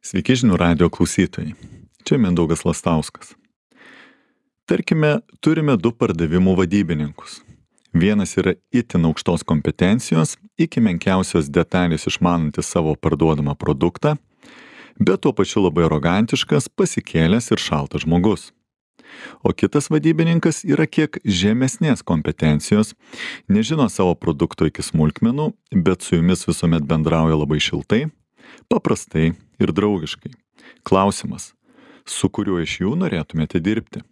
Sveiki žinių radijo klausytojai. Čia Mindaugas Lastauskas. Tarkime, turime du pardavimų vadybininkus. Vienas yra itin aukštos kompetencijos, iki menkiausios detalės išmanantis savo parduodamą produktą, bet tuo pačiu labai arogantiškas, pasikėlęs ir šaltas žmogus. O kitas vadybininkas yra kiek žemesnės kompetencijos, nežino savo produkto iki smulkmenų, bet su jumis visuomet bendrauja labai šiltai, paprastai ir draugiškai. Klausimas, su kuriuo iš jų norėtumėte dirbti?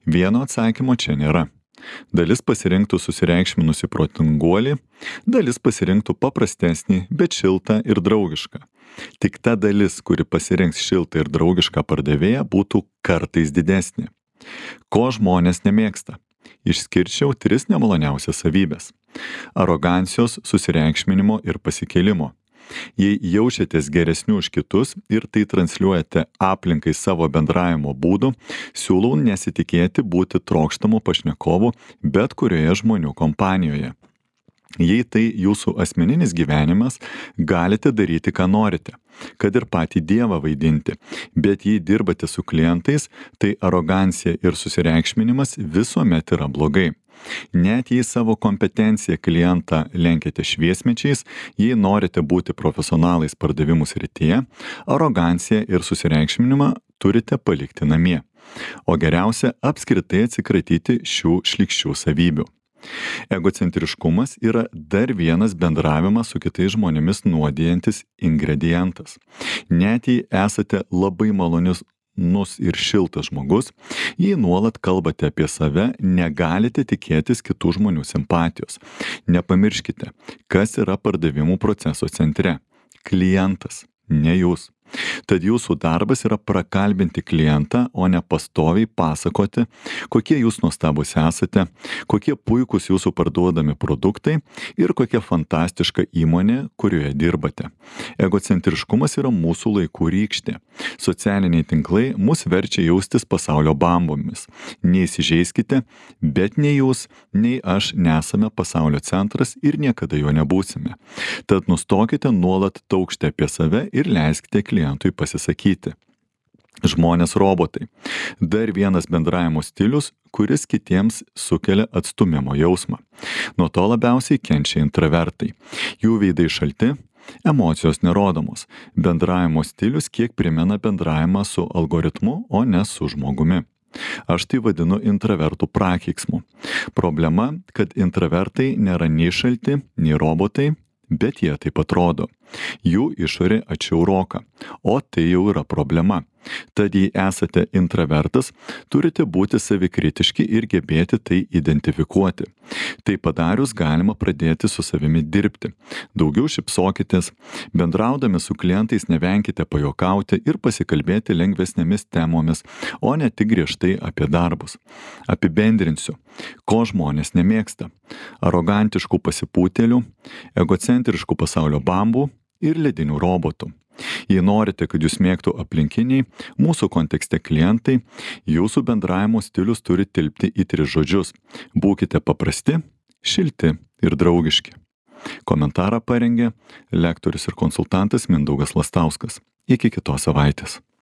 Vieno atsakymo čia nėra. Dalis pasirinktų susireikšminusį protinguolį, dalis pasirinktų paprastesnį, bet šiltą ir draugišką. Tik ta dalis, kuri pasirinks šiltą ir draugišką pardavėją, būtų kartais didesnė. Ko žmonės nemėgsta? Išskirčiau 3 nemaloniausias savybės. Arogancijos, susireikšminimo ir pasikėlimo. Jei jaučiatės geresnių už kitus ir tai transliuojate aplinkai savo bendravimo būdu, siūlau nesitikėti būti trokštamu pašnekovu bet kurioje žmonių kompanijoje. Jei tai jūsų asmeninis gyvenimas, galite daryti, ką norite, kad ir patį Dievą vaidinti, bet jei dirbate su klientais, tai arogancija ir susireikšminimas visuomet yra blogai. Net jei savo kompetenciją klientą lenkiate šviesmečiais, jei norite būti profesionalais pardavimų srityje, aroganciją ir susireikšminimą turite palikti namie. O geriausia apskritai atsikratyti šių šlykščių savybių. Egocentriškumas yra dar vienas bendravimą su kitais žmonėmis nuodijantis ingredientas. Net jei esate labai malonius ir šiltas žmogus, jei nuolat kalbate apie save, negalite tikėtis kitų žmonių simpatijos. Nepamirškite, kas yra pardavimų proceso centre. Klientas, ne jūs. Tad jūsų darbas yra prakalbinti klientą, o ne pastoviai pasakoti, kokie jūs nuostabūs esate, kokie puikūs jūsų parduodami produktai ir kokia fantastiška įmonė, kurioje dirbate. Egocentriškumas yra mūsų laikų rykštė. Socialiniai tinklai mus verčia jaustis pasaulio bambomis. Neįsižeiskite, bet nei jūs, nei aš nesame pasaulio centras ir niekada jo nebūsime. Tad nustokite nuolat taukšti apie save ir leiskite klientui pasisakyti. Žmonės robotai. Dar vienas bendravimo stilius, kuris kitiems sukelia atstūmimo jausmą. Nuo to labiausiai kenčia intravertai. Jų veidai šalti, emocijos nerodomos. Bendravimo stilius kiek primena bendravimą su algoritmu, o ne su žmogumi. Aš tai vadinu intravertų prakeiksmu. Problema, kad intravertai nėra nei šalti, nei robotai, bet jie taip atrodo. Jų išorė atšiauroka, o tai jau yra problema. Tad jei esate intravertas, turite būti savikritiški ir gebėti tai identifikuoti. Tai padarius galima pradėti su savimi dirbti. Daugiau šypsokitės, bendraudami su klientais nevenkite pajuokauti ir pasikalbėti lengvesnėmis temomis, o ne tik griežtai apie darbus. Apibendrinsiu, ko žmonės nemėgsta. Arogantiškų pasipūtėlių, egocentriškų pasaulio bambų ir ledinių robotų. Jei norite, kad jūs mėgtų aplinkiniai, mūsų kontekste klientai, jūsų bendravimo stilius turi tilpti į 3 žodžius. Būkite paprasti, šilti ir draugiški. Komentarą parengė lektorius ir konsultantas Mindaugas Lastauskas. Iki kitos savaitės.